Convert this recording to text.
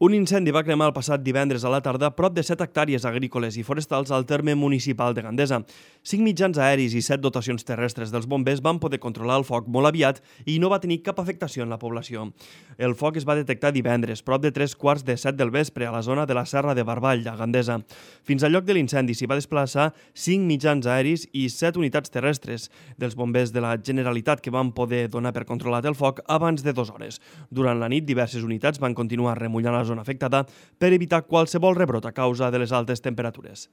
Un incendi va cremar el passat divendres a la tarda prop de 7 hectàrees agrícoles i forestals al terme municipal de Gandesa. 5 mitjans aeris i 7 dotacions terrestres dels bombers van poder controlar el foc molt aviat i no va tenir cap afectació en la població. El foc es va detectar divendres, prop de 3:45 del vespre, a la zona de la Serra de Barball, a Gandesa. Fins al lloc de l'incendi s'hi va desplaçar 5 mitjans aeris i 7 unitats terrestres dels bombers de la Generalitat que van poder donar per controlat el foc abans de 2 hores. Durant la nit, diverses unitats van continuar remullant la zona afectada per evitar qualsevol rebrot a causa de les altes temperatures.